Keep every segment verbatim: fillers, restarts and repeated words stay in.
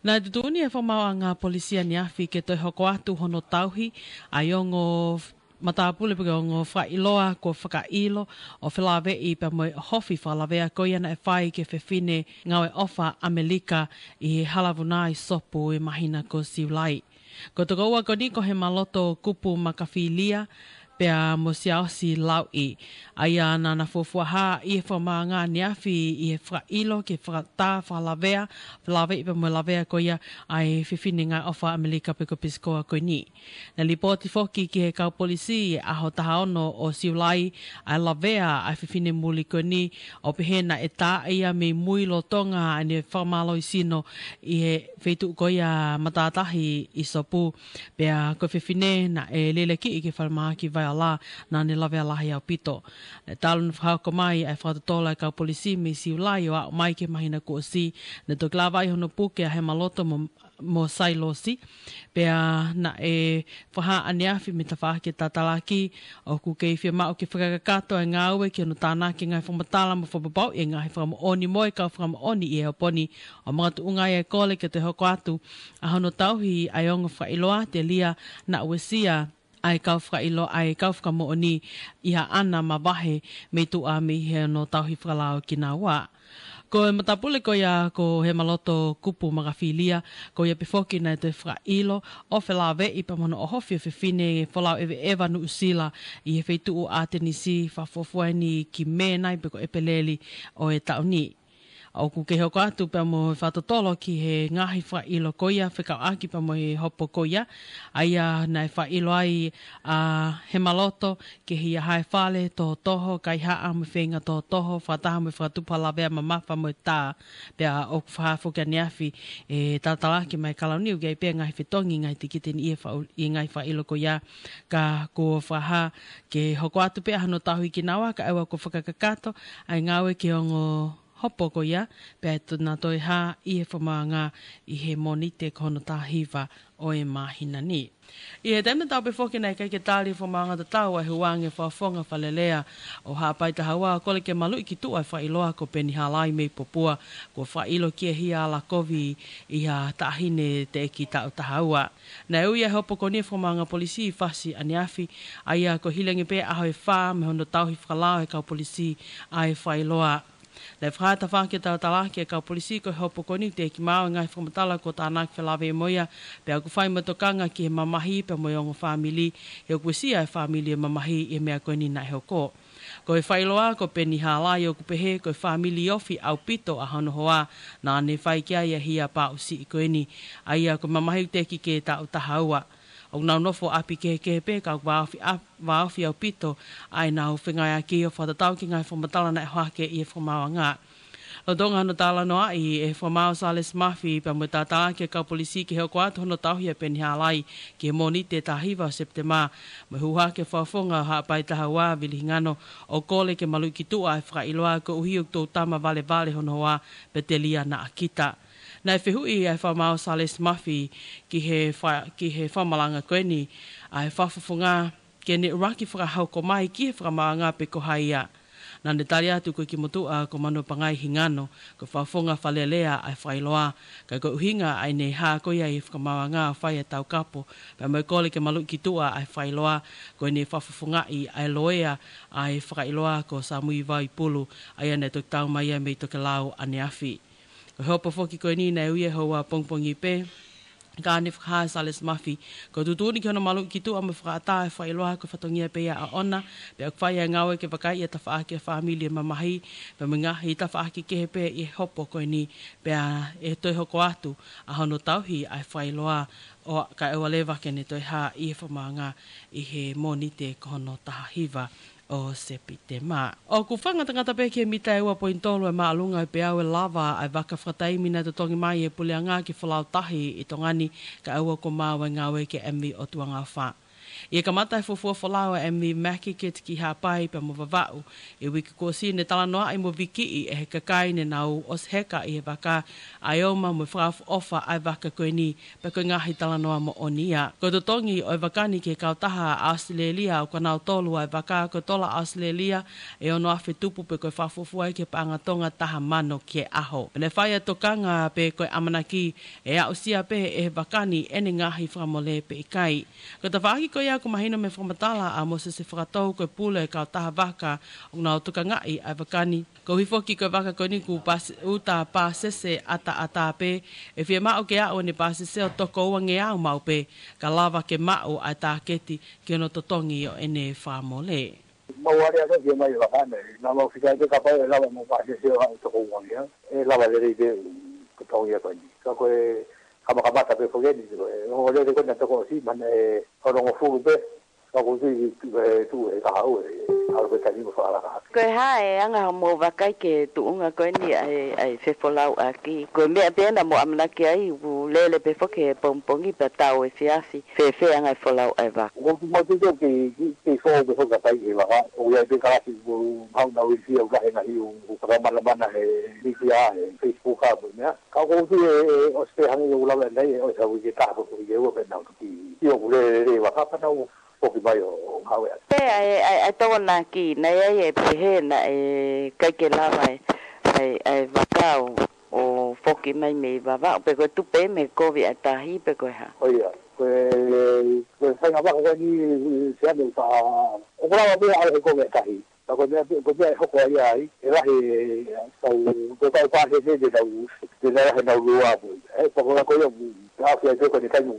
Naʻe tuʻutuʻuni ʻe he fakamaauʻanga polisi ʻaneafi ke toe hoko atu hono tauhi ʻa e ongo matāpule pe ko e ongo fakaʻiloa kuo fakaʻilo ʻo felāveʻi pea mo e ʻohofi fakalavea ko ia naʻe fai ki he fefine ngāue ʻofa ʻAmelika ʻi he Halavunai Sopu ʻi he māhina ko Siulai. Ko e tokoua ko eni ko Hemaloto Kupu Makafilia pea mo Siaosi Lauʻi. ʻA ia naʻa na fuofua hā ʻi he fakamaauʻanga ʻaneafi ʻi he fakaʻilo ki he fakatā fakalavea, felāveʻi pea mo e lavea ko ia ʻa e fefine ngāue ʻofa ʻAmelika pe ko e Peace Corps ko eni. Naʻe lipooti foki ki he kau polisi ʻi he ʻaho taha ono ʻo Siulai ʻa e lavea ʻa e fefine muli ko eni ʻo pehē naʻe tā ia mei mui lolotonga ʻene fakamālohisino ʻi he feituʻu ko ia matātahi ʻi Sopu. Pea ko e fefine naʻe lelekiʻi ki he falemahaki Vaiola naʻa ne lavea lahi ʻaupito. Naʻe talu naʻe fakahoko mai ʻa e fakatotolo ʻa e kau polisi mei Siulai ʻo aʻu mai ki he māhina kuo ʻosi, naʻe toki lava ai hono puke ʻa Hemaloto mo, mo Sailosi. Pea naʻe fakahā ʻaneafi mei he tafaʻaki ʻo e tatalaki ʻoku kei fiemaʻu ke fakakakato ʻa e ngāue ki hono tānaki e ngaahi fakamatala mo fakapapauʻi e ngaahi fakamoʻoni mo e kau fakamoʻoni ʻi he hopo ni, ʻo makatuʻunga ai e kole ke toe hoko atu ʻa hono tauhi ʻa e ongo fakaʻiloa telia naʻa uesia ʻa e kau fakaʻilo, ʻa e kau fakamoʻoni ʻi haʻana mavahe mei tuʻa mei hono tauhi fakalao kinaua. Ko e matāpule ko ia ko Hemaloto Kupu Makafilia, ko ia pē foki naʻe toe fakaʻilo ʻo felāveʻi pea mo hono ʻohofi ʻo e fefine folau ʻeveʻeva Nuʻusila ʻi he feituʻu ʻAtenisi, fakafuofua eni ki Mē nai pe ko ʻEpeleli ʻo e taʻu ni. ʻOku kei hoko atu pea mo e fakatotolo ki he ngaahi fakaʻilo ko ia fekauʻaki pea mo e hopo ko ia, ʻa ia naʻe fakaʻilo ai ʻa Hemaloto ki he ʻi ai ha fale tohotoho, kaihaʻa mo e feinga tohotoho, fakataha mo e fakatupu ha lavea mamafa mo e tā. Pea ʻoku fakahā foki ʻaneafi ʻe tatalaki mai Kalauni ʻoku ʻi ai pē ngaahi fetongi, ngaahi tikite ni ʻi he fau-, ʻi he ngaahi fakaʻilo ko ia, ka kuo fakahā ke hoko atu pē ʻa hono tauhi kinaua kae ʻoua kuo fakakakato ʻa e ngāue ki he ongo hopo ko ia, pea ʻe toe hā ʻi he fakamaauʻanga ʻi he Mōnite ko hono taha hiva ʻo e māhina ni. ʻI he taimi tatau pē foki naʻe ʻikai ke tali ʻe he fakamaauʻanga tatau ʻa e huange fakafofonga fakalelea ʻo Haʻapai taha ua ʻo kole ke maluʻi ki tuʻa e fakaʻiloa ko Peni Halai mei Popua, kuo fakaʻilo ki he hia ʻa Lakovi ʻi ha taʻahine teʻeki taʻu taha ua. Naʻe ui ʻa e hopo ko eni ʻe he fakamaauʻanga polisi ʻi Fasi ʻaneafi, ʻa ia ko e hili ange pē ʻaho ʻe fā mei hono tauhi fakalao ʻe he kau polisi ʻa e fakaʻiloa. Naʻe fakahā ʻe he tafaʻaki ʻo e talatalaaki ʻa e kau polisi ko e hopo ko eni ʻoku teʻeki maau e ngaahi fakamatala kuo tānaki felāveʻi mo ia, pea ʻoku fai mo e tokanga ki he mamahi pea mo e ongo fāmili, he ʻoku uesia ʻe he fāmili e mamahi ʻi he meʻa ko eni naʻe hoko. Ko e fakaʻiloa ko Peni Halai ʻoku pehē ko e fāmili ofi ʻaupito ʻa hono hoa naʻa ne fai ki ai ʻa e hia paʻusiʻi ko eni, ʻa ia ko e mamahi ʻoku teʻeki ke taʻu taha ua. ʻOku nau nofo ʻapi kehekehe pē ka ʻoku vāofi ʻa-, vāofi ʻaupito ʻa ʻenau fengāueʻaki ʻo fakatatau ki he ngaahi fakamatala naʻe ʻohake ʻi he fakamaauʻanga. Lolotonga hono talanoaʻi ʻe he fakamaau Sālesi Mafi pea mo e talatalaaki ʻa e kau polisi ke hoko atu hono tauhi ʻa Peni Halai ki he Mōnite taha hiva ʻo Sepitema, mo e hū hake ʻa e fakafofonga ʻo Haʻapai taha ua, Vili Hingano, ʻo kole ke maluʻi ki tuʻa e fakaʻiloa koeʻuhi ʻoku toutama valevale hono hoa pea telia naʻa kita. Naʻe fehuʻi ʻe he fakamaau Sālesi Mafi ki he fa-, ki he fakamalanga ko eni ʻa e fakafofonga ke ne ʻuluaki fakahoko mai ki he fakamaauʻanga pe ko hai ia. Naʻa ne tali atu ko e kimutuʻa ko Manuapangai Hingano, ko e fakafofonga fakalelea ʻa e fakaʻiloa, ka ko e ʻuhinga ʻa ʻene hā ko ia ʻi he fakamaauʻanga ʻo fai ʻa e taukapo pea mo e kole ke maluʻi ki tuʻa ʻa e fakaʻiloa, ko ʻene fakafofongaʻi ʻa e loea ʻa e fakaʻiloa ko Samui Vaipulu, ʻa ia naʻe toki tau mai ia mei Tokelau ʻaneafi. Ko e hopo foki ko eni naʻe ui ʻe he houa pongipongi pē, ka naʻe fakahā ʻe Sālesi Mafi ko e tuʻutuʻuni ki hono maluʻi ki tuʻa mo e fakaʻatā e fakaʻiloa ko e fatongia pē ia ʻaʻona, pea ʻoku fai ʻa e ngāue ke vakaiʻi ʻa e tafaʻaki ʻa e fāmili ʻo e mamahi pea mo e ngaahi tafaʻaki kehe pē ʻi he hopo ko eni, pea ʻe toe hoko atu ʻa hono tauhi ʻa e fakaʻiloa ʻo kae ʻoua leva ke ne toe hā ʻi he fakamaauʻanga ʻi he Mōnite ko hono taha hiva ʻo Sepitema. ʻOku fakangatangata pē ki he mita ʻe ua poini tolu ʻa e māʻolunga ʻo e peau ʻe lava ʻa e vaka fakataimi naʻe totongi mai ʻe he puleʻanga ke folau tahi ʻi Tonga ni, kae ʻoua kuo maau ʻa e ngāue ki he M V ʻOtua Ngaofa. ʻI he kamata e fuofua folau ʻa e M V Makikit ki Haʻapai pea mo Vavaʻu ʻi he uike kuo ʻosi, ne talanoaʻi mo vikiʻi ʻe he kakai ne nau ʻosi heka ʻi he vaka ʻa e ʻoma mo e fakaʻofoʻofa ʻa e vaka ko eni, pea ko e ngaahi talanoa moʻoni ia. Ko e totongi ʻo e vaka ni ki he kautaha ʻa ʻAositelēlia, ʻoku nau tolu ʻa e vaka ko e tola ʻAositelēlia ʻe ono afe tupu pe ko e fakafuofua ia ki he paʻanga Tonga taha mano ki he ʻaho. Pea ne fai ʻa e tokanga pe ko e ʻamanaki ʻe aʻusia pē ʻe he vaka ni ʻene ngaahi fakamole pe ʻikai. Ko e tafaʻaki ko ia kuo mahino mei he fakamatala ʻa Mōsese Fakatou, ko e pule ʻo e kautaha vaka ʻoku nau tokangaʻi ʻa e vaka ni. Koeʻuhi foki ko e vaka ko eni kuo pas-, uta pāsese ʻataʻatā pē, ʻe fiemaʻu ke aʻu ʻene pāsese ʻo toko uangeau maʻu pē, ka lava ke maʻu ʻa e tāketi ki hono totongi ʻo ʻene fakamole. Mau ale atu ki mai vaka nei, naʻa mau fika atu kapau ʻe lava mo pāsese ʻo aʻu toko uangeau, ʻe lava lelei pē ʻo totongi ʻa ko eni. Ka ko e kamakamata pē foki eni, ko e ongo lele ko ena toko ʻosi, mana ʻe onongofulu pē, ka ko tui ki, ki, ʻe tuʻu he kahaʻu ʻe, ʻalu pē taimi mo fakalaka hake. Ko e hā e anga hoʻomou vakai ki he tuʻunga ko eni ʻa e, ʻa e fefolauʻaki? Ko e meʻa pē ena mou ʻamanaki ai, ʻoku lele pē foki he pongipongi pea tau efiafi. Fēfē anga e folau ʻa e vaka? ʻOku mau tui ke, ke, ke foʻou pē foki ʻa e kai ʻi he vaka. ʻOku ʻi ai pē kalasi ʻoku mau nau ʻi fia ʻo lahi ngaahi ʻū, ʻū fakamanamana he mītia, he Facebook ʻa mo e meʻa. Ka ʻoku ou tui ʻe, ʻe, ʻosi pē hangē ʻoku lava ʻanenai ʻe ʻosi ʻa e uike taha pe ko e uike ua pea nau toki. ʻIo, ʻoku lele lelei e vaka pea nau foki mai ʻo, ʻo ngāue atu. Pea ʻe, ʻe, ʻe Tokonaki, naʻe ʻi ai e pehē naʻe ʻikai ke lava e, ʻa e, ʻa e vaka ʻo, ʻo foki mai mei Vavaʻu, pe ko e tupu mei he kovi ʻa e tahi, pe ko e hā? ʻIo, ko e, ko e faʻahinga vaka ko eni, Siane, ʻoku fa-, ʻoku lava pē ʻalu he kovi ʻa e tahi. Ka ko e meʻa, ko e meʻa ʻe hoko ai ai, ʻe lahi, kau, ko e kau pāsese te nau, te nau lahi nau lua pē. ʻE, pea ko e, ko ia, ʻa fia te ko eni kai mo,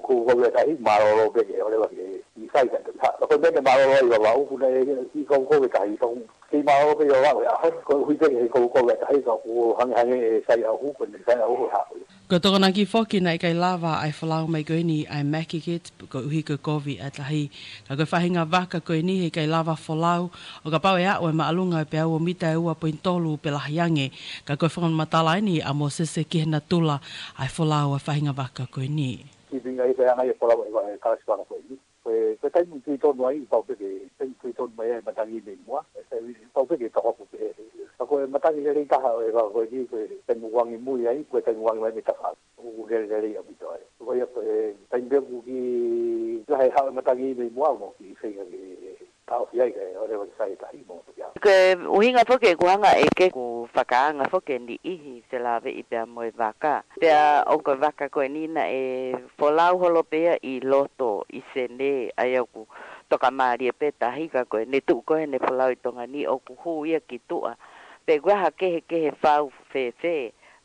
ko, ko e tahi, mālōlō pē ke, ʻo leva ke, ʻi sai ka te, ha, ka ko e meʻa mālōlō ai Vavaʻu, ʻoku ne, ʻi kau ko e tahi, kau, kei mālōlō pē ʻi Vavaʻu, ʻa, koeʻuhi pē ke kau ko e tahi, ka ʻoku hangehangē ʻe sai ʻaho, ko ʻene sai ʻaho, ha. Ko Tokonaki foki naʻe ʻikai lava ʻa e folau mai ko eni ʻa e Makikit, koeʻuhi ko e kovi ʻa e tahi. Ka ko e faʻahinga vaka ko eni heʻikai lava folau, ʻo kapau ʻe aʻu e māʻolunga ʻo e peau ʻo mita ʻe ua poini tolu pe lahi ange. Ka ko e fakamatala eni ʻa Mōsese ki he natula ʻa e folau ʻa e faʻahinga vaka ko eni. Ki pinga i te anga i e folau ʻa e kalasi vaka ko eni. Ko e, ko e taimi ʻoku tui tonu ai, pau pē ke, taimi ʻoku tui tonu mai ai e matangi mei muʻa, ʻe, ʻe, pau pē ke toko ʻoku pehē. Ka ko e matangi lelei taha ʻo e vaka ko eni, ko e taimi ʻoku angi mui ai, ko e taimi ʻoku angi mai mei tafaʻaki. ʻOku lele lelei ʻaupito ai. Ko ia ko e taimi pē ʻoku kiʻi lahi e haʻu e matangi mei muʻa mo kiʻi feinga ke taʻofi ai kae ʻoua leva ke sai e tahi mo ia. Ko e ʻuhinga foki ʻeku hanga ʻe ke ku fakaanga foki e niʻihi felāveʻi pea mo e vaka. Pea ʻoku ko e vaka ko eni naʻe folau holo pē ia ʻi loto ʻi Senē, ʻa ia ʻoku tokamālie pē tahi ka ko ʻene tuʻu ko ē ʻene folau ʻi Tonga ni ʻoku hū ia ki tuʻa. Pe ʻoku ʻi ai ha kehekehe fau fēfē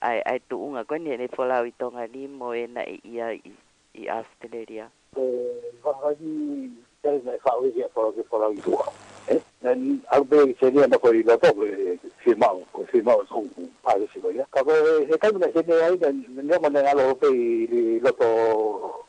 ʻa e, ʻa e tuʻunga ko eni ʻene folau ʻi Tonga ni mo ē naʻe ʻi ai ʻi, ʻi ʻAositelēlia. Ko e vaka ni, tele naʻe faʻu ia ke folau, ke folau ʻi tuʻa. ʻE? Naʻe ʻalu pē ʻi Senē ʻo ko ē ʻi loto, ko e fiemaʻu, ko e fiemaʻu ʻo e kau pāsese ko ia. Ka ko e, he taimi naʻe ʻi Senē ai, naʻe, naʻe ʻomai naʻe ʻalu pē ʻi, ʻi loto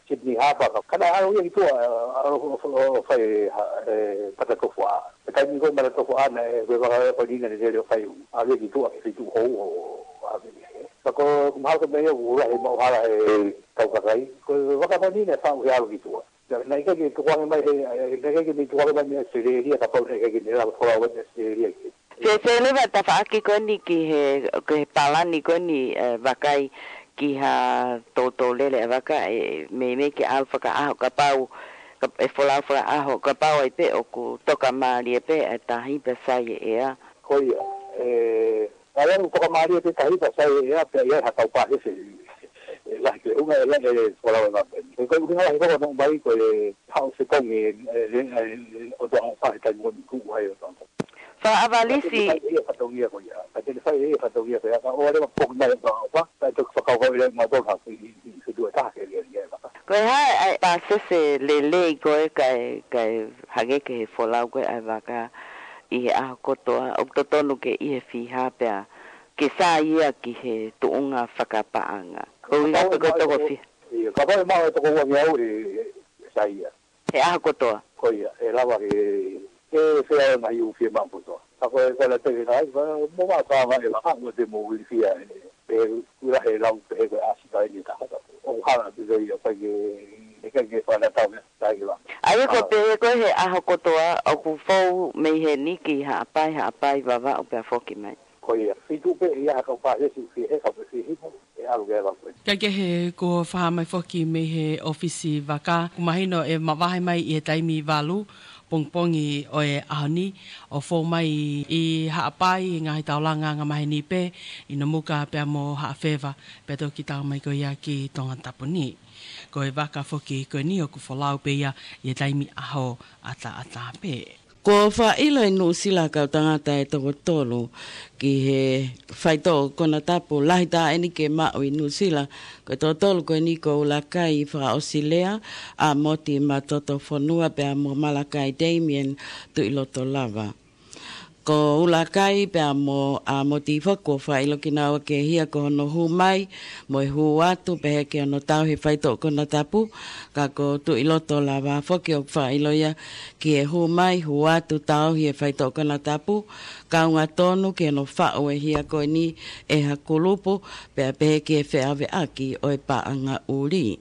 Sydney Harbour. Ka naʻe ʻalu ia ki tuʻa, ʻalu ʻo, ʻo, ʻo fai ha, e, matatofuʻa. He taimi ko ē matatofuʻa naʻe, ko e vaka ko eni naʻe lele ʻo fai, ʻalu ia ki tuʻa ki he feituʻu hou ʻo, ʻo, ʻave ia. Ka ko, ko mahalo ko e meʻa ia ʻoku lahi e maʻuhala he kau kakai. Ko e vaka ko eni naʻe faʻu he ʻalu ki tuʻa. Naʻe, naʻe ʻikai ke tukuange mai he, naʻe ʻikai ke ne tukuange mai mei ʻAositelēlia kapau naʻe ʻikai ke ne lava folau ʻi ʻAositelēlia ke. Fēfē leva e tafaʻaki ko eni ki he, ki he palani ko eni, e, vakai ki ha toutou lele ʻa e vaka, ʻe, meimei ke ʻalu fakaʻaho kapau, ka, ʻe folau fakaʻaho kapau ai pē ʻoku tokamālie pē ʻa e tahi pea sai e ʻea. Ko ia, e, Ka ʻi ai ʻoku tokamālie pē tahi pea sai e ʻea pea ʻi ai ha kau pāsese ʻe lahi ke unga e lahi e folau e vaka. Ko e ʻuhinga lahi ko ē ʻoku nau ʻomai ko e haʻu fetongi e, e, e, e, ʻOtua Hoʻo Fā he taimi ko eni ʻoku ʻi ai ʻOtua Hoʻo Fā. Fakaʻavalisi. Ka te ne fai e fatongia ko ia. Ka te ne fai e fatongia ko ia. Ka ʻoua leva foki mai ʻOtua Hoʻo Fā. Ka ʻe toki fakakaukau leva ʻe mautolu ha kiʻi, kiʻi, kiʻi fetuʻu ʻe taha ke lialia e vaka. Ko e hā e pāsese lelei ko ē kae, kae hangē ki he folau ko ē ʻa e vaka ʻi he ʻaho kotoa, ʻoku totonu ke ʻi he fiha pea ke sai ia ki he tuʻunga fakapaʻanga. Ko ia kapau ʻe maʻu e toko fiha. ʻIo, kapau ʻe maʻu e toko uangeau ʻe, ʻe sai ia. He ʻaho kotoa. Ko ia, ʻe lava ke, ke fea e ngaahi ʻū fiemaʻu kotoa. Ka ko e, ko e la teke kai, ka mo ma ka ma e vaka, mo te mo uili fia e, pe ula he lau, pe he ko e ʻasi kai ni taha tapu. ʻOku hala te te ia, pai ke, ʻe kai ke fana tau mea, tai ke vaka. ʻA Ko e pehē ko e he ʻaho kotoa ʻoku fou mei heni ki Haʻapai, Haʻapai Vavaʻu pea foki mai. Ko ia, fitu pē ia ha kau pāsesi fie he kau pē fie hipo, ʻe ʻalu ke ʻalu pē. Kae kehe kuo fakahā mai foki mei he ʻōfisi vaka, ʻoku mahino ʻe mavahe mai ʻi he taimi valu pongipongi ʻo e ʻaho ni, ʻo fou mai ʻi Haʻapai, ngaahi taulanga angamaheni pē, ʻi Nomuka pea mo Haʻafeva, pea toki tau mai ko ia ki Tongatapu ni. Ko e vaka foki ko eni ʻoku folau pē ia ʻi he taimi ʻaho ʻataʻatā pē. Kuo fakaʻilo ʻe Nuʻusila kau tangata ʻe toko tolu ki he faitoʻo konatapu lahi taha eni ke maʻu ʻi Nuʻusila, ko e toko tolu ko eni ko Ulakai Fakaʻosilea, ʻAmoti Matotofonua pea mo Malakai Damien Tuʻilotolava. Ko Ulakai pea mo ʻAmoti foki kuo fakaʻilo kinaua ke hia ko hono hū mai mo e hū atu pehē ki hono tauhi e faitoʻo konatapu, ka ko Tuʻilotolava foki ʻoku fakaʻilo ia ki he hū mai, hū atu, tauhi e faitoʻo konatapu, kaunga tonu ki hono faʻu e hia ko eni ʻe ha kulupu, pea pehē ki he feʻaveʻaki ʻo e paʻanga ʻuli.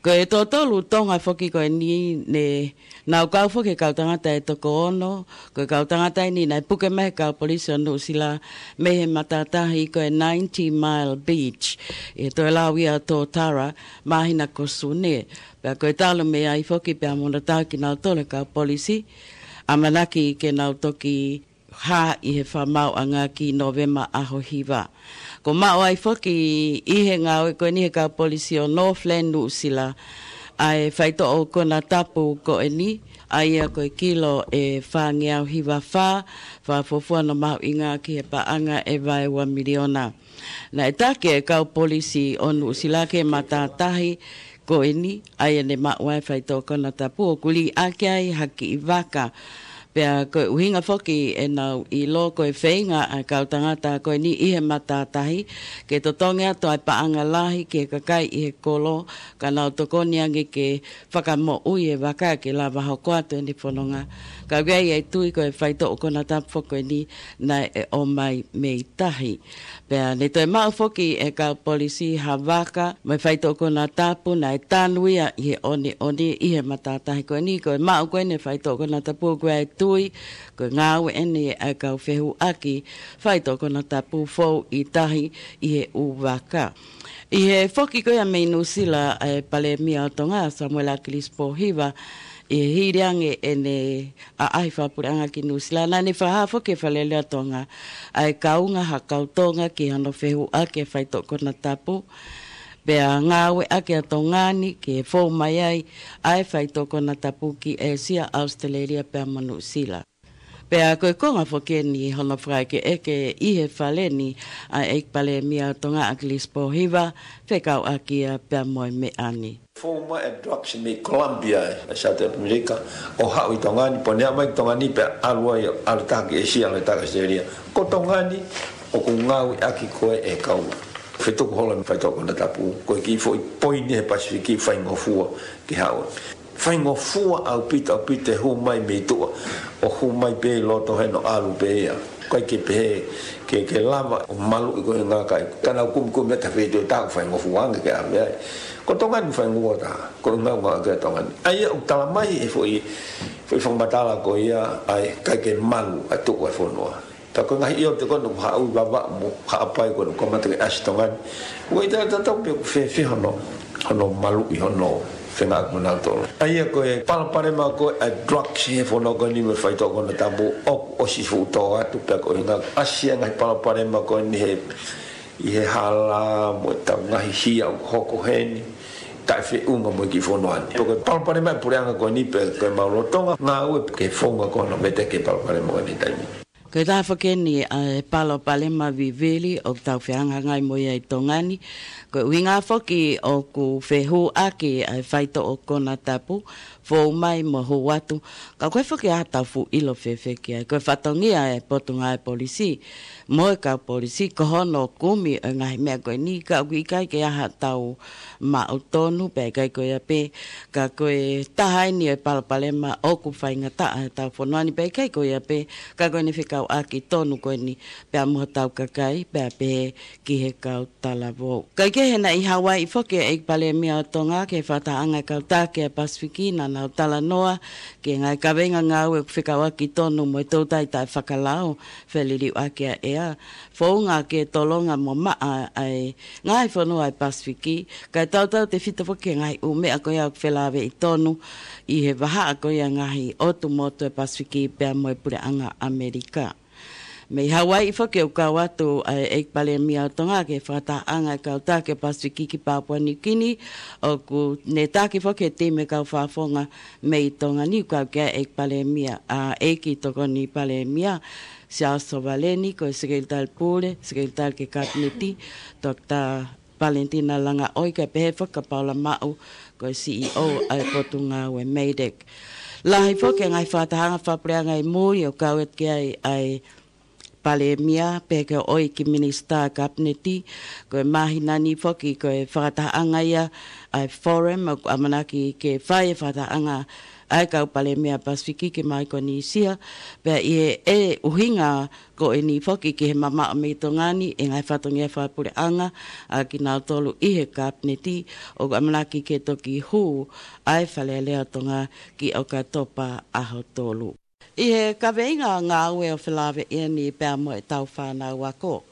Ko e toko tolu Tonga foki ko eni ne nau kau foki he kau tangata ʻe toko ono, ko e kau tangata eni naʻe puke mai he kau polisi ʻo Nuʻusila mei he matātahi ko e Ninety Mile Beach, ʻi he toe lau ia ʻo Totara, māhina ko Sune. Pea ko e talu mei ai foki pea mo hono tauhi kinautolu he kau polisi, ʻamanaki ke nau toki hā ʻi he fakamaauʻanga ki Nōvema ʻaho hiva. Kuo maʻu ai foki ʻi he ngāue ko eni he kau polisi ʻo Northland Nuʻusila ʻa e faitoʻo konatapu ko eni, ʻa ia ko e kilo ʻe fāngeau hiva fā, fakafuofua hono mahuʻinga ki he paʻanga ʻe vaeua miliona. Naʻe taki e kau polisi ʻo Nuʻusila ki he matātahi ko eni, ʻa ia ne maʻu ai e faitoʻo konatapu, ʻoku liʻaki ai ha kiʻi vaka. Pea ko e ʻuhinga foki ʻenau ʻilo ko e feinga ʻa e kau tangata ko eni ʻi he matātahi ke totongi atu ʻa e paʻanga lahi ki he kakai ʻi he kolo, ka nau tokoni ange ke fakamoʻui e vaka ke lava hoko atu ʻene fononga. Ka ʻoku ʻi ai e tui ko e faitoʻo konatapu foki ko eni naʻe ʻomai mei tahi. Pea ne toe maʻu foki ʻe he kau polisi ha vaka mo e faitoʻo konatapu naʻe tanu ia ʻi he ʻoneʻone ʻi he matātahi ko eni. Ko e maʻu ko eni e faitoʻo konatapu ʻoku ʻi ai e tui ko e ngāue eni ʻa e kau fehuʻaki faitoʻo konatapu fou ʻi tahi ʻi he ʻū vaka. ʻI he foki ko ia mei Nuʻusila ʻa e Palēmia ʻo Tonga, Samuela ʻAkilisi Pōhiva, ʻi he hili ange ʻene ʻaʻahi fakapuleʻanga ki Nuʻusila, naʻa ne fakahā foki ʻe he Fale Alea ʻo Tonga ʻa e kaunga ha kau Tonga ki hono fehuʻaki e faitoʻo konatapu, pea ngāueʻaki ʻa Tonga ni ke fou mai ai ʻa e faitoʻo konatapu ki ʻĒsia, ʻAositelēlia pea mo Nuʻusila. Pea ko e konga foki eni hono fakaʻekeʻeke ʻi he Fale ni ʻa e ʻEiki Palēmia ʻo Tonga, ʻAkilisi Pōhiva, fekauʻaki ia pea mo e meʻa ni. Fou mai e drugs mei Colombia ʻi South America, ʻo haʻu ʻi Tonga ni, pea ne aʻu mai ki Tonga ni pea ʻalu ai, ʻalu taha ki ʻĒsia, ʻalu taha ki ʻAositelēlia. Ko Tonga ni, ʻoku ngāueʻaki ko ē ʻe he kau fetuku holo e faitoʻo konatapu, ko e kiʻi foʻi poini he Pasifiki faingofua ke haʻu. Faingofua ʻaupito, ʻaupito e hū mai mei tuʻa, ʻo hū mai pē ʻi loto heni ʻo ʻalu pē ia. ʻIkai ke pehē ke, ke lava ʻo maluʻi ko e ngaahi kakai. Ka nau kumikumi atu he feituʻu ʻe taha ʻoku faingofua ange ke ʻave ai. Ko Tonga ni faingofua taha, ko e ngāueʻaki ʻa Tonga ni. ʻA ia ʻoku talamai ʻe he foʻi, foʻi fakamatala ko ia, ʻa e ʻikai ke malu ʻa e tuʻu ʻa e fonua. Ka ko e ngaahi ʻiote ko ē naʻe haʻu ʻi Vavaʻu mo Haʻapai ko ē naʻe kamata ke ʻasi Tonga ni. ʻOku ʻikai ke tau tatau pe ʻoku fēfē hono, hono maluʻi hono fengāueʻaki mo nautolu. ʻA ia ko e palopalema ko ē ʻa e drugs he fonua ko eni mo e faitoʻo konatapu ʻoku ʻosi fuʻu tō atu pea ko e ʻuhinga ʻasi e ngaahi palopalema ko eni he, ʻi he hala mo e tau ngaahi hia ʻoku hoko heni. Taʻefeʻunga mo e kiʻi fonua ni. Ko e palopalema e puleʻanga ko eni pea ko e mau lolotonga ngāue ke founga ko hono veteki e palopalema ko eni he taimi ni. Ko e taha foki eni ʻa e palopalema vivili ʻoku tau fehangahangai mo ia ʻi Tonga ni. Ko e ʻuhinga foki ʻoku fehuʻaki ʻa e faitoʻo konatapu, fou mai mo hū atu. Ka ʻoku ʻikai foki ʻi ai haʻatau fuʻu ʻilo fēfē ki ai. Ko e fatongia e Potungāue Polisi mo e kau polisi, ko hono kumi ʻo e ngaahi meʻa ko eni, ka ʻoku ʻikai ke ʻi ai haʻatau maʻu tonu, pea ʻikai ko ia pē, ka ko e taha eni ʻo e palopalema ʻoku faingataʻa he ʻetau fonua ni, pea ʻikai ko ia pē, ka ko ʻene fekau ʻaki tonu ko eni pea mo hotau kakai, pea pehē ki he kau talavou. Kae kehe, naʻe ʻi Hawaiʻi foki e ʻEiki Palēmia ʻo Tonga ki he fakatahaʻanga e kau taki ʻa e Pasifiki, naʻa nau talanoa ki he ngaahi kaveinga ngāue ʻoku fekauʻaki tonu mo e toutai taʻefakalao, feliliuaki ʻa e ʻea, founga ke tolonga mo maʻa ʻa e ngaahi fonua ʻa e Pasifiki, kae tautautefito foki ki he ngaahi ʻū meʻa ko ia ʻoku felāveʻi tonu ʻi he vahaʻa ko ia e ngaahi ʻotu motu ʻa e Pasifiki pea mo e Puleʻanga ʻAmelika. Mei Hawaiʻi foki ʻoku kau atu ʻa e ʻEiki Palēmia ʻo Tonga ki he fakatahaʻanga e kau taki ʻa e Pasifiki ki Papua Niu Kini, ʻoku ne taki foki e timi e kau fakafofonga mei Tonga ni, ʻoku kau ki ai e ʻEiki Palēmia, ʻa e ʻEiki Tokoni Palēmia, Siaosi Sovaleni, ko e Sekelitali Pule, Sekelitali ki he Kapineti, Toketā Valentina Langaʻoi, kae pehē foki kia Paula Maʻu, ko e C E O ʻa e Potungāue MEIDECC. Lahi foki e ngaahi fakatahaʻanga fakapuleʻanga ʻi muli ʻoku kau atu ki ai ʻa e Palēmia, pehē ki he ʻEiki Minisitā Kapineti. Ko e māhina ni foki ko e fakatahaʻanga ia ʻa e Forum, ʻoku ʻamanaki ke fai e fakatahaʻanga ʻa e kau Palēmia Pasifiki ki Maikonisia, pea ʻi he ʻuhinga ko eni foki ki he mamaʻo mei Tonga ni e ngaahi fatongia fakapuleʻanga ʻa kinautolu ʻi he Kapineti, ʻoku ʻamanaki ke toki hū ʻa e Fale Alea ʻo Tonga ki ʻOkatopa ʻaho tolu. ʻI he kaveinga ngāue ʻoku felāveʻi eni pea mo ʻetau fānau ako,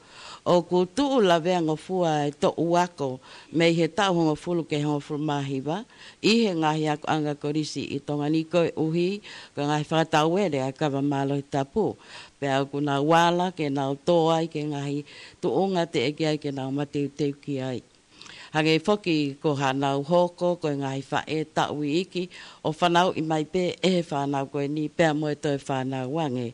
ʻoku tuʻu laveangofua e toʻu ako mei he taʻu hongofulu ki he hongofulu mā hiva ʻi he ngaahi akoʻanga kolisi ʻi Tonga ni, koeʻuhi ko e ngaahi fakatauele ʻa e kava mālohi tapu, pea ʻoku nau ala ke nau tō ai ki he ngaahi tuʻunga teʻeki ai ke nau mateuteu ki ai. Hangē foki ko haʻanau hoko ko e ngaahi faʻē taʻu iiki ʻo fanauʻi mai pē ʻe he fānau ko eni pea mo e toe fānau ange.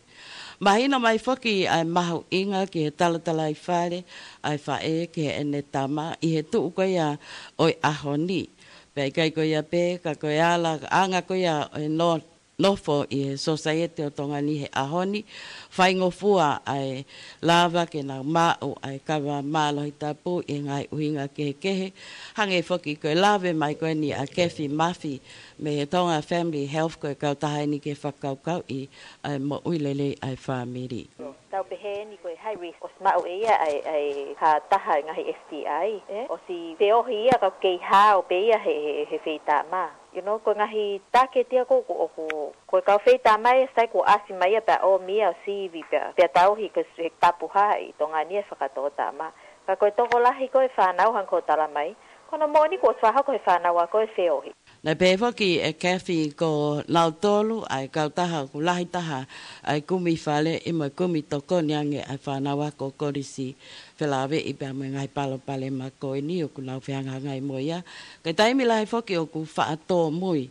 Mahino mai foki ʻa e mahuʻinga ki he talatalaifale ʻa e faʻē ki heʻene tama ʻi he tuʻu ko ia ʻo e ʻaho ni. Pea ʻikai ko ia pē, ka ko e ala, anga ko ia ʻo e no-, nofo ʻi he sosaieti ʻo Tonga ni he ʻaho ni, faingofua ʻa e lava ke nau maʻu ʻa e kava mālohi tapu ʻi he ngaahi ʻuhinga kehekehe, hangē foki ko e lave mai ko eni ʻa Kathy Murphy mei he Tonga Family Health, ko e kautaha eni ke fakakaukauʻi ʻa e moʻui lelei ʻa e fāmili. Tau pehē eni ko e high risk ʻosi maʻu ʻe ia ʻa e, ʻa e ha taha e ngaahi S T I, ē? ʻOsi feohi ia ka kei hao pē ia he, he, he feitama. You know, ko e ngaahi taketi ia ko, ko, ko, ko e kau feitama ia sai kuo ʻasi mai ia pea ʻomi ia ʻo sivi pea, pea tauhi ko e tapu hā ʻi Tonga ni e fakatōtama. Ka ko e tokolahi ko e fānau hangē ko e tala mai, ko hono moʻoni kuo ʻosi fakahoko he fānau ako e feohi. Naʻe pehē foki ʻe Kathy ko nautolu ʻa e kautaha ʻoku lahi taha ʻa e kumi fale ʻi mo e kumi tokoni ange ʻa e fānau ako kolisi, felāveʻi pea mo e ngaahi palopalema ko eni ʻoku nau fehangahangai mo ia. Ko e taimi lahi foki ʻoku faʻa tōmui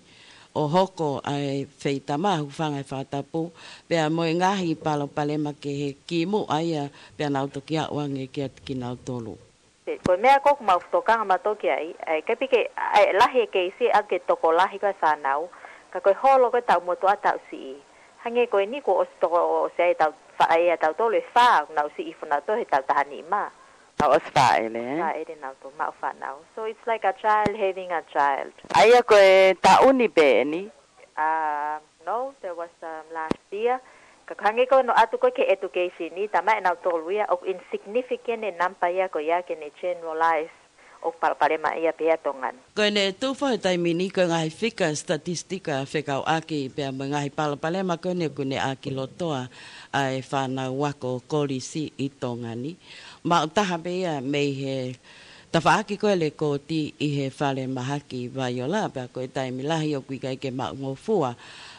ʻo hoko ʻa e feitama, hūfanga he fakatapu, pea mo e ngaahi palopalema kehe kimuʻa ia pea nau toki aʻu ange kiate kinautolu. Ko e meʻa ko ē ʻoku mau tokanga mautolu ki ai, ʻa e kapike, ʻa e lahi e keisi ʻa e tokolahi ko e fānau, ka ko e holo ko e taʻu motuʻa taʻu siʻi. Hangē ko eni kuo ʻosi toko, ʻosi ʻai tau faʻē ʻa tautolu ʻe fā, nau siʻi foki nautolu he taʻu taha nima. Tau ʻosi faʻele, ē? Faʻele nautolu maʻu fānau. So it's like a child having a child. ʻA ia ko e taʻu ni pē eni? Uh, no, there was, um, last year. Ka hangē ko hono ʻatu ko ē ki he education ni, talamai ʻe nautolu ia ʻoku insignificant e namba ia ko ia ke ne generalize ʻoku palopalema ia pē ʻa Tonga ni. Ko ʻene tufa he taimi ni ko e ngaahi fika statistika fekauʻaki pea mo e ngaahi palopalema ko eni ʻoku ne ʻākilotoa ʻa e fānau ako kolisi ʻi Tonga ni. Maʻu taha pē ia mei he tafaʻaki ko e lekooti ʻi he falemahaki Vaiola, pea ko e taimi lahi ʻoku ʻikai ke maʻungofua.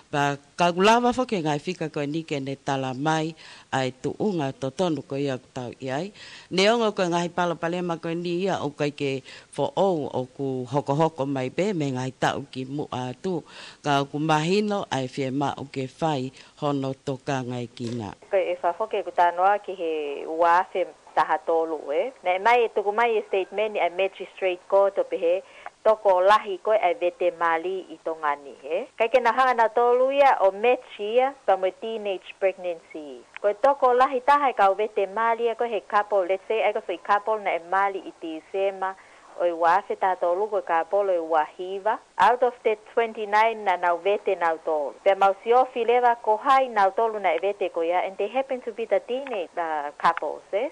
Pea ka ʻoku lava foki e ngaahi fika ko eni ke ne talamai ʻa e tuʻunga totonu ko ia ʻoku tau ʻi ai. Neongo ko e ngaahi palopalema ko eni ia ʻoku ʻikai ke foʻou, ʻoku hokohoko mai pē mei he ngaahi taʻu kimuʻa atu. Ka ʻoku mahino ʻa e fiemaʻu ke fai hono tokangaekina. Ko e fakafoki ʻeku talanoa ki he ua afe taha tolu, ē. Naʻe ʻomai, tuku mai e statement ʻa e Magistrate Court ʻo pehē, tokolahi ko ē ʻa e vete mali ʻi Tonga ni, ē. ʻIkai ke nau hanga nautolu ia ʻo match ia pea mo e teenage pregnancy. Ko e tokolahi taha e kau vete mali ia ko ē he couple, let's say, ʻa ia ko e foʻi couple naʻe mali ʻi Tīsema ʻo e ua afe taha tolu ko e kāpolo ʻe ua hiva. Out of the twenty-nine naʻa nau vete nautolu. Pea mau siofi leva ko hai nautolu naʻe vete ko ia, and they happen to be the teenage, uh, couples, eh?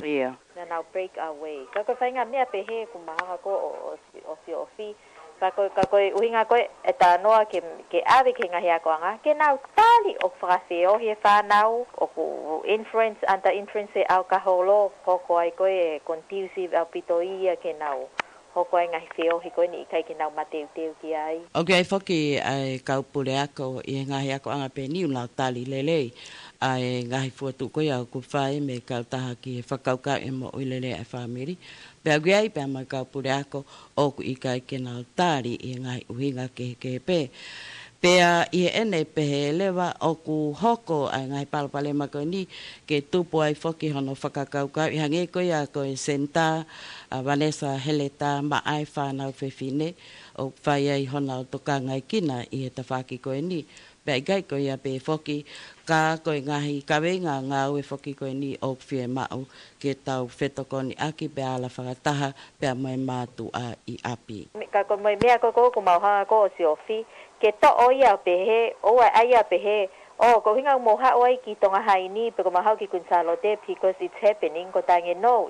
Ia. Naʻa nau break away. Ka ko e faʻahinga meʻa pehē ʻoku mahanga ko ē ʻo, ʻo, ʻo siofi. Ka ko, ka ko e ʻuhinga ko ē ʻe talanoa ke, ke ʻave ki he ngaahi akoʻanga, ke nau tali ʻoku fakafeohi e fānau, ʻoku influence, under influence e ʻalakaholo, hoko ai ko ē ʻe conducive ʻaupito ia ke nau hoko ai e ngaahi feohi ko eni ʻikai ke nau mateuteu ki ai. ʻOku ʻi ai foki ʻa e kau puleako ʻi he ngaahi akoʻanga pē ʻoku nau tali lelei ʻa e ngaahi fokotuʻu ko ia ʻoku fai mei he kautaha ki he fakakaukau e moʻui lelei ʻa e fāmili. Pea ʻoku ʻi ai pē mo e kau puleako ʻoku ʻikai ke nau tali ʻi he ngaahi ʻuhinga kehekehe pē. Pea ʻi heʻene pehē leva ʻoku hoko ʻa e ngaahi palopalema ko eni ke tupu ai foki hono fakakaukauʻi, hangē ko ia ko e senitā ʻa Vanessa Heleta maʻa e fānau fefine ʻoku fai ai honau tokangaekina ʻi he tafaʻaki ko eni. Pea ʻikai ko ia pē foki, ka ko e ngaahi kaveinga ngāue foki ko eni ʻoku fiemaʻu ke tau fetokoniʻaki pea ala fakataha pea mo e mātuʻa ʻi ʻapi. Ka ko e meʻa ko ē ʻoku mau hanga ko ē ʻo siofi, ke toʻo ia ʻo pehē, ʻoua ʻe ʻai ia ʻo pehē, ʻo, ko e ʻuhinga ʻoku mou haʻu ai ki Tonga High ni, pe ko ʻemau haʻu ki Kuini Sālote, because it's happening, ko e taimi ʻe no.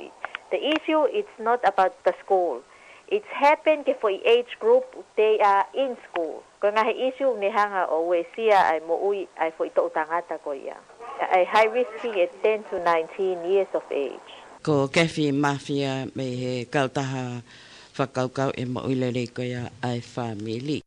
The issue, it's not about the school. It's happened ki he foʻi age group, they are in school. Ko e ngaahi issue ʻoku ne hanga ʻo uesia ʻa e moʻui ʻa e foʻi toʻu tangata ko ia. ʻA e high risk ʻe ten to nineteen years of age. Ko Kefi Mafia mei he kautaha fakakaukau e moʻui lelei ko ia ʻa e fāmili.